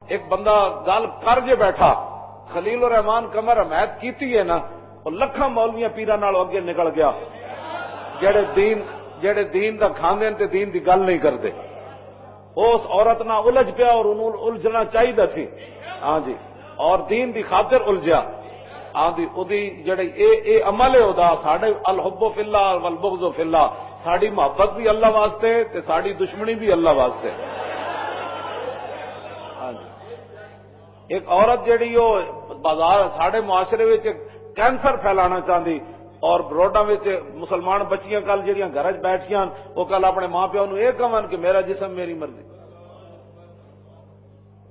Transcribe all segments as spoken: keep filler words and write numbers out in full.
ایک بندہ گل کر جے بیٹھا، خلیل الرحمان قمر حمایت کیتی ہے نا، وہ لکھاں مولویاں پیراں نال اگے نکل گیا، جڑے دین جڑے دین دا کھاندے نے تے دین دی گل نہیں کردے۔ وہ اس عورت نال الجھ پیا اور انہوں الجھنا چاہیدا سی۔ ہاں جی، اور دین دی خاطر الجھیا۔ ہاں جی، اودی جڑی اے اے عمل ہے ادا، ساڈے الحب فی اللہ والبغض فی اللہ، ساڈی محبت بھی اللہ واسطے تے ساڈی دشمنی بھی اللہ واسطے۔ ہاں جی، ایک عورت جڑی وہ بازار ساڈے معاشرے وچ کینسر پھیلانا چاہندی اور روڈاں وچ مسلمان بچیاں کل جڑیاں گھر وچ بیٹھیاں، وہ کل اپنے ماں پیو نوں یہ کہون کہ میرا جسم میری مرضی۔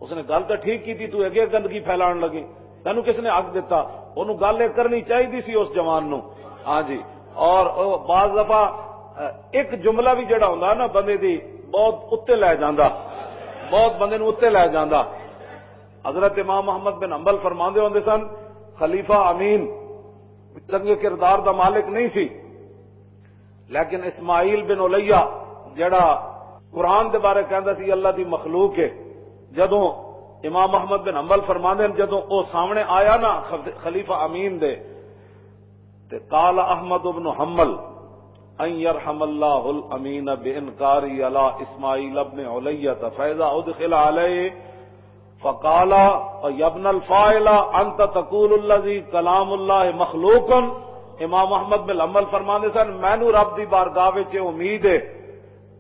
اس نے گل تو ٹھیک کی تھی، تو اگے گندگی پھیلان لگی، تینوں کس نے حق دتا؟ انہوں گل یہ کرنی چاہیے سی اس جوان نو۔ ہاں جی، اور او بعض دفعہ، اہ، ایک جملہ بھی جڑا ہوندا نا بندے دی، بہت اتنے لے جاندا، بہت بندے نو اتنے لے جاندا۔ حضرت امام احمد بن حنبل فرماندے ہوندے سن، خلیفہ امین چنگے کردار دا مالک نہیں سی، لیکن اسماعیل بن الیہ جڑا قرآن دے بارے کہندا سی اللہ دی مخلوق ہے، جدوں امام احمد بن حنبل فرماندے ہیں، جدوں او سامنے آیا نا خد-، خلیفہ امین دے، تے قال احمد بن حنبل، ان یرحم اللہ الامین بانکاری علی اسماعیل ابن علیہ، فاذا ادخل علیہ فقال، یا ابن الفاعل، انت تقول الذی کلام اللہ مخلوق۔ امام احمد بن حنبل فرماندے سن، مینوں رب دی بارگاہ وچ یہ امید ہے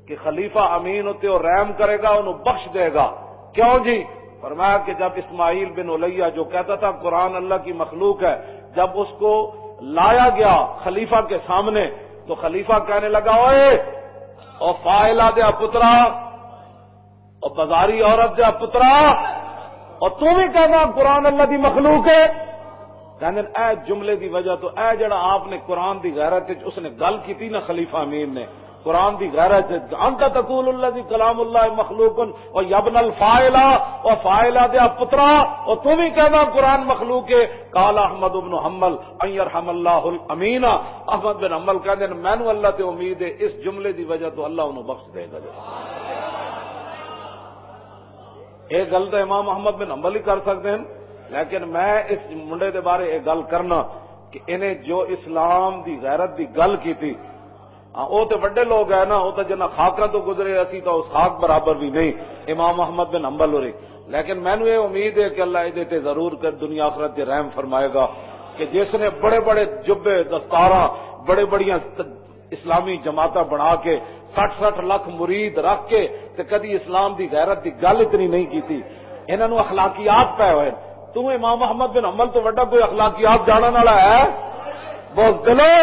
کہ خلیفہ امین اتے وہ رحم کرے گا، انہوں بخش دے گا۔ کیوں جی؟ فرمایا کہ جب اسماعیل بن الیہ جو کہتا تھا قرآن اللہ کی مخلوق ہے، جب اس کو لایا گیا خلیفہ کے سامنے، تو خلیفہ کہنے لگا، اوئے، او فاعلہ دیا پترا، او بازاری عورت دیا پترا، او تو بھی کہنا قرآن اللہ دی مخلوق ہے؟ کہندے نے، اے جملے دی وجہ تو، اے جڑا آپ نے قرآن دی غیرت وچ اس نے گل کیتی نا خلیفہ امین نے، قرآن دی غیرت وچ، انت تقول الذی کلام اللہ مخلوق، او یبن الفاعلہ، او فاعلہ دیا پترا، او تو بھی کہنا قرآن مخلوق ہے؟ قال احمد ابن حنبل، ان یرحم اللہ الامین۔ احمد بن حنبل کہندے نے، مینوں اللہ تے امید ہے اس جملے دی وجہ تو اللہ انہوں بخش دے گا۔ یہ گل تو امام احمد بن حنبل ہی کر سکتے ہیں، لیکن میں اس منڈے دے بارے یہ گل کرنا کہ انہیں جو اسلام دی غیرت دی گل کی تھی، ہاں، وہ تو وڈے لوگ ہیں نا، وہ تو جنہ خاکاں تو گزرے، اسی تو اس خاک برابر بھی نہیں، امام احمد بن حنبل ہو رہی۔ لیکن مینوں یہ امید ہے کہ اللہ یہ تے ضرور کر دنیا آخرت دے رحم فرمائے گا کہ جس نے بڑے بڑے جبے دستاراں، بڑے بڑیاں اسلامی جماعتاں بنا کے سٹھ سٹھ لکھ مرید رکھ کے تے کدی اسلام دی غیرت دی گل اتنی نہیں کیتی۔ انہاں نوں اخلاقیات پے ہوئے۔ تو امام احمد بن حنبل تو وڈا کوئی اخلاقیات جانن والا ہے؟ بہت دلو،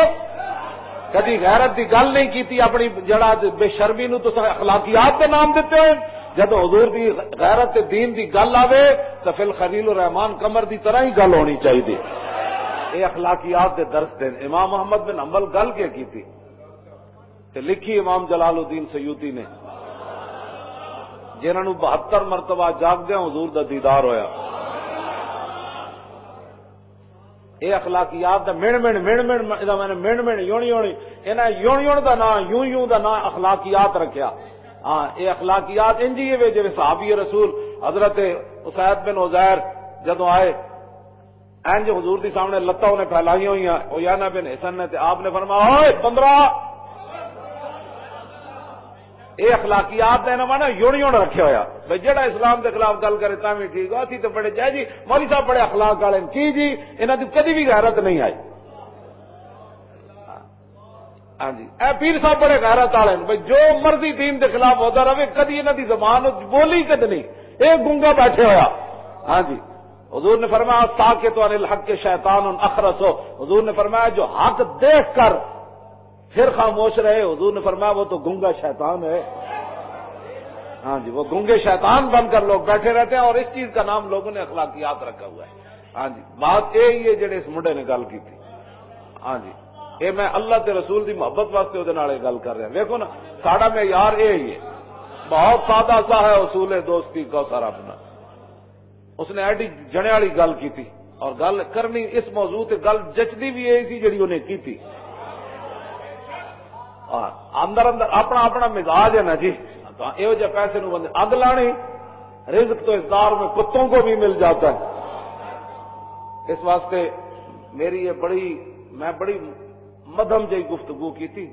کدی غیرت دی گل نہیں کیتی، اپنی جڑا بے شرمی نوں تساں اخلاقیات دے نام دتے ہوئے۔ جد حضور دی غیرت تے دین دی گل آوے تو فی الخلیل الرحمان قمر دی طرح ہی گل ہونی چاہیے۔ یہ اخلاقیات دے درس دین۔ امام احمد بن حنبل گل کے کیتی؟ تے لکھی امام جلال الدین سیوطی نے، جنہاں نوں بہتر مرتبہ جاگدیاں حضور دا دیدار ہویا۔ اے اخلاقیات دا مِن مِن، مِن مِن، اے دا معنی مِن مِن، یون یون، انہاں یون یون دا نام، یوں یوں دا نام اخلاقیات رکھیا۔ ہاں، اے اخلاقیات انجی ہے جیویں صحابی رسول حضرت اسید بن عزیر جدوں آئے، انج حضور دی سامنے لتاں انہیں پھیلائیاں ہوئیاں، اویانا بن حسن نے، تے آپ نے فرمایا، اوئے بندرا، اے اخلاقیات دا انہاں نا یون یون رکھیا ہویا۔ بھئی جیڑا اسلام دے خلاف گل کرے تاں وی ٹھیک ہو، اسی تے بڑے جائے جی، مولوی صاحب بڑے اخلاق والے نے۔ کی جی، انہاں دی کدی بھی غیرت نہیں آئی۔ ہاں جی، اے پیر صاحب بڑے غیرت والے نے۔ بھئی جو مرضی دین دے خلاف ہوتا رہے، کدی انہاں دی زبان بولی کد نہیں۔ اے گنگا بیٹھے ہویا۔ ہاں جی، حضور نے فرمایا، ساکت عن الحق شیطان اخرس۔ حضور نے فرمایا، جو حق دیکھ کر پھر خاموش رہے، حضور نے فرمایا، وہ تو گنگا شیطان ہے۔ ہاں جی، وہ گنگے شیطان بن کر لوگ بیٹھے رہتے ہیں اور اس چیز کا نام لوگوں نے اخلاقیات رکھا ہوا ہے۔ ہاں جی، بات یہی ہے جڑے اس منڈے نے گل کی تھی۔ ہاں جی، اے میں اللہ تے رسول دی محبت واسطے اودے نال اے گل کر رہا۔ ویکھو نا، ساڈا معیار اے ہی ہے۔ بہت سادہ سا ہے اصول دوستی کا سارا اپنا۔ اس نے ایڈی جنے والی گل کی تھی اور گل کرنی اس موضوع تے گل جچدی بھی یہی سی جڑی انہیں کی تھی۔ ہاں، اندر اندر اپنا اپنا مزاج ہے نا جی۔ تاں ایہو جہے پیسے نوں بندے اگ لانی۔ رزق تو اس دار میں کتوں کو بھی مل جاتا ہے۔ اس واسطے میری یہ بڑی، میں بڑی مدھم جئی گفتگو کی تھی،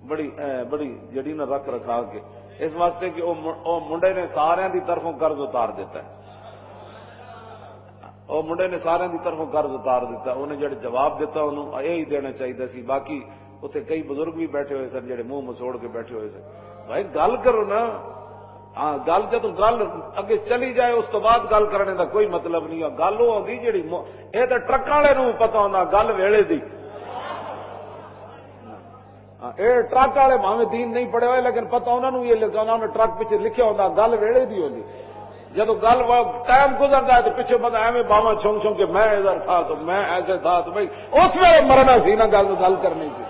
بڑی، اے، بڑی جڑی نہ رکھ رکھا کے، اس واسطے کہ او م-، او منڈے نے سارے دی طرفوں قرض اتار دیتا ہے۔ او منڈے نے سارے دی طرفوں قرض اتار دیتا، انہیں جڑے جواب دیتا، انہوں یہ ہی دینا چاہیے سی۔ باقی اتنے کئی بزرگ بھی بیٹھے ہوئے سن، جڑے منہ مسوڑ کے بیٹھے ہوئے سن۔ بھائی، گل کرو نا۔ ہاں، گل، جدوں گل اگے چلی جائے، اس تو بعد گل کرنے دا کوئی مطلب نہیں ہے۔ گل وہ آندی جڑی م-، اے تے ٹرکاں والے نوں پتہ ہوندا گل ویلے دی۔ ہاں، اے ٹرک والے بھاویں دین نہیں پڑھے ہوئے، لیکن پتہ انہاں نوں یہ لکھا، انہاں نے ٹرک پیچھے لکھیا ہوندا گل ویلے دی ہوندی۔ جدوں گل وا-، ٹائم گزردا ہے تے پیچھے بندہ ایویں باواں چھنگ چھنگ کے، میں ادھر تھا تو میں ایسے تھا تو بھائی، اس ویلے مرنا سی نا، گل گل کرنی سی۔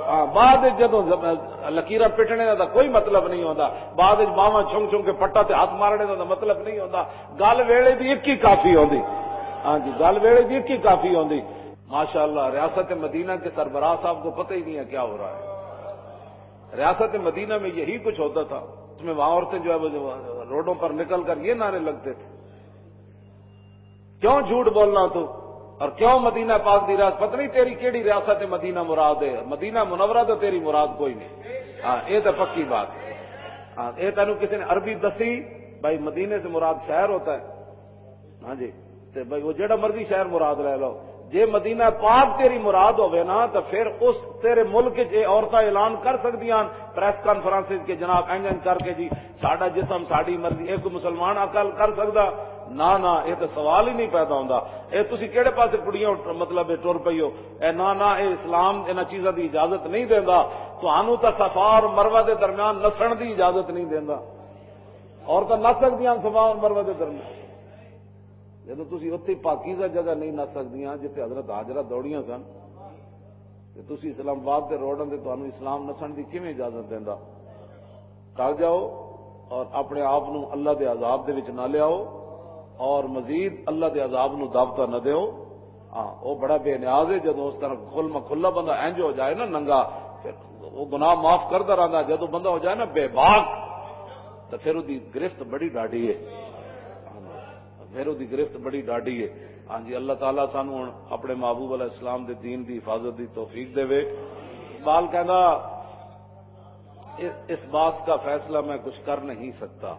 ہاں، بعد وچ جدوں ز-، لکیراں پٹنے دا کوئی مطلب نہیں ہوندا۔ بعد وچ باواں چھنگ چھنگ کے پٹا تے ہاتھ مارنے دا مطلب نہیں ہوندا۔ گل ویلے دی ایک ہی کافی ہوندی۔ ہاں جی، گل ویلے دی ایک ہی کافی ہوندی۔ ماشاءاللہ، ریاست مدینہ کے سربراہ صاحب کو پتہ ہی نہیں ہے کیا ہو رہا ہے۔ ریاست مدینہ میں یہی کچھ ہوتا تھا۔ اس میں وہاں عورتیں جو ہے وہ جو روڈوں پر نکل کر یہ نعرے لگتے تھے، "کیوں جھوٹ بولنا تو، اور کیوں مدینہ پاک دی ریاست؟ پتہ نہیں تیری کیڑی ریاست مدینہ مراد ہے، مدینہ منورہ تو تیری مراد کوئی نہیں۔" ہاں، یہ تو پکی بات ہے۔ ہاں، یہ تینوں کسی نے عربی دسی، بھائی، مدینے سے مراد شہر ہوتا ہے۔ ہاں جی، تے بھائی، وہ جڑا مرضی شہر مراد لے لو، جے مدینہ پاک تیری مراد ہوے نا، تو پھر اس تیرے ملک وچ یہ عورتاں اعلان کر سکدیاں ہن پریس کانفرنس وچ کہ جناب، انج انج کر کے جی، ساڈا جسم، ساڈی مرضی، یہ کوئی مسلمان عقل کر سکدا؟ نہ، نہ، یہ تو سوال ہی نہیں پیدا ہوندا۔ یہ تسی کہڑے پاسے کڑیاں اٹھ-، مطلب، یہ ٹر پئی ہو؟ اے نہ، نہ، یہ اسلام انہاں چیزاں دی اجازت نہیں دیندا۔ تانوں تاں صفا اور مروہ دے درمیان نسن دی اجازت نہیں دیندا۔ عورتاں نس سکدیاں صفا اور مروہ دے درمیان؟ جدوں تسی اتھے پاکیزہ جگہ نہیں نس سکدیاں جتھے حضرت ہاجرہ دوڑیاں سن، تے تسی اسلام آباد دے روڈاں تے تانوں اسلام نسن دی کیویں اجازت دیندا؟ ٹل جاؤ اور اپنے آپ نو اللہ دے عذاب دے وچ نہ لیاؤ، اور مزید اللہ دے عذاب نو دعوتاں نہ دیو۔ ہاں، وہ بڑا بے نیاز ہے۔ جدوں اس طرح کھل مکھلا بندہ انج ہو جائے نا، ننگا، پھر وہ گناہ معاف کردا رہندا۔ جدوں بندہ ہو جائے نا بے باک، تو پھر وہ دی گرفت بڑی ڈاڈی ہے۔ پھر وہ دی گرفت بڑی ڈاڈی ہے۔ ہاں جی، اللہ تعالیٰ سانو ہن اپنے محبوب علیہ السلام دے دین دی حفاظت دی توفیق دے۔ اقبال کہندا، "اس، اس بات کا فیصلہ میں کچھ کر نہیں سکتا،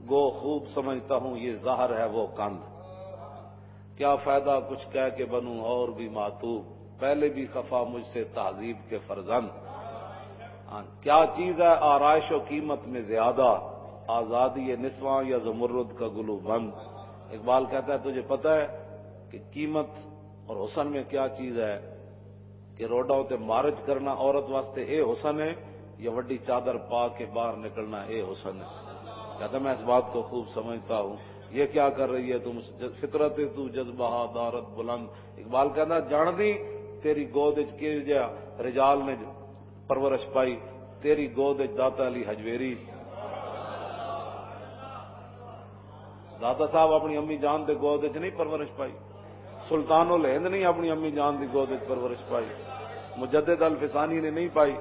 گو خوب سمجھتا ہوں یہ زہر ہے وہ کند۔ کیا فائدہ کچھ کہہ کے بنوں اور بھی معتوب، پہلے بھی خفا مجھ سے تہذیب کے فرزند۔ ہاں، کیا چیز ہے آرائش و قیمت میں زیادہ، آزادی نسواں یا زمرد کا گلو بند؟" اقبال کہتا ہے، تجھے پتہ ہے کہ قیمت اور حسن میں کیا چیز ہے؟ کہ روڈاں تے مارچ کرنا عورت واسطے اے حسن ہے، یا وڈی چادر پا کے باہر نکلنا اے حسن ہے؟ کہتا، میں اس بات کو خوب سمجھتا ہوں۔ یہ کیا کر رہی ہے تم؟ فطرت تو جذبہ دارت بلند۔ اقبال کہتا، جان دی تیری گود وچ کہو جہا رجال نے پرورش پائی، تیری گود وچ داتا علی حجویری۔ داتا صاحب اپنی امی جان دے گود وچ نہیں پرورش پائی، سلطان الہند نہیں اپنی امی جان دی گود وچ پرورش پائی، مجدد الفسانی نے نہیں پائی،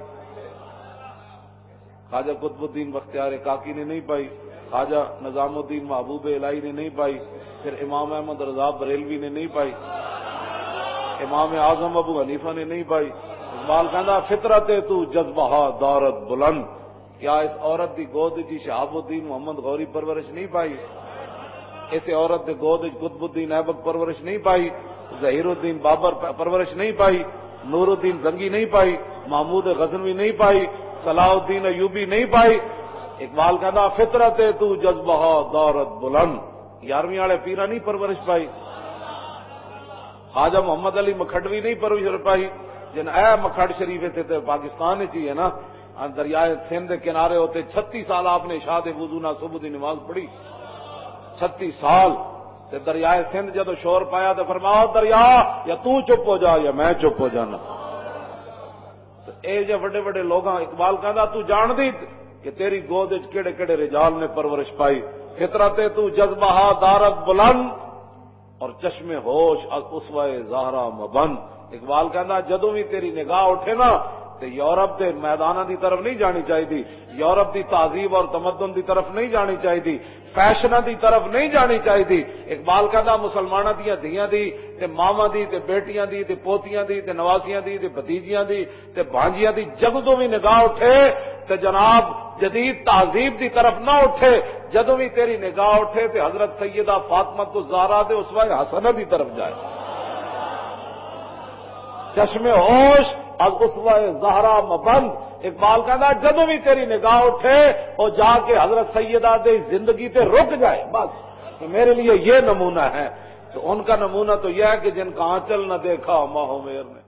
خواجہ قطب الدین بختیار کاکی نے نہیں پائی، خواجہ نظام الدین محبوب الہی نے نہیں پائی، پھر امام احمد رضا بریلوی نے نہیں پائی، امام اعظم ابو حنیفہ نے نہیں پائی۔ اقبال کہندا، فطرت تو جذبہ دارت بلند۔ کیا اس عورت دی گود جی شہاب الدین محمد غوری پرورش نہیں پائی؟ اس عورت دے گود وچ قطب الدین ایبک پرورش نہیں پائی؟ ظہیر الدین بابر پ-، پرورش نہیں پائی؟ نور الدین زنگی نہیں پائی؟ محمود غزنوی نہیں پائی؟ صلاح الدین ایوبی نہیں پائی؟ اقبال کہندا، فطرت تو جذبہ دارت بلند۔ یارویں والے پیرا نہیں پرورش پائی؟ خواجہ محمد علی مکھڈوی نہیں پرورش پائی؟ جن اے مکھڈ شریف اتھے تے پاکستان وچ ہی ہے نا، آ دریائے سندھ دے کنارے ہوتے چھتی سال آپ نے شاہ دے وضو نال صبح دی نماز پڑھی۔ چھتی سال۔ تے دریائے سندھ جدوں شور پایا تے فرمایا، "دریا، یا توں چپ ہو جا یا میں چپ ہو جانا۔" تے اے جے وڈے وڈے لوگاں، اقبال کہندا، تو جان دی کہ تیری گود وچ کیڑے کیڑے رجال نے پرورش پائی؟ فطرت تو جذبہ دارت بلند اور چشم ہوش از اسوہ زہرا مبند۔ اقبال کہندا، جدوں بھی تیری نگاہ اٹھے نا، تے یورپ دے میداناں دی طرف نہیں جانی چاہیدی، یورپ دی تہذیب اور تمدن دی طرف نہیں جانی چاہیدی، فیشناں دی طرف نہیں جانی چاہیدی۔ اقبال کہندا، مسلماناں دیاں دھیاں دی، تے ماواں دی، تے بیٹیاں دی، تے پوتیاں دی، تے نواسیاں دی، تے بھتیجیاں دی، تے بھانجیاں دی جدوں بھی نگاہ اٹھے، تے جناب، جدید تہذیب دی طرف نہ اٹھے۔ جدوں بھی تیری نگاہ اٹھے، تے حضرت سیدہ فاطمہ تو زہرا دے اسوہ حسنہ دی طرف جائے۔ چشم ہوش از اسوہ زہرا مبند۔ اقبال کہندا، جدوں بھی تیری نگاہ اٹھے، او جا کے حضرت سیدہ دے زندگی تے رک جائے، بس۔ تو میرے لیے یہ نمونہ ہے۔ تو ان کا نمونہ تو یہ ہے کہ جن کا آنچل نہ دیکھا ماہ و میر نے،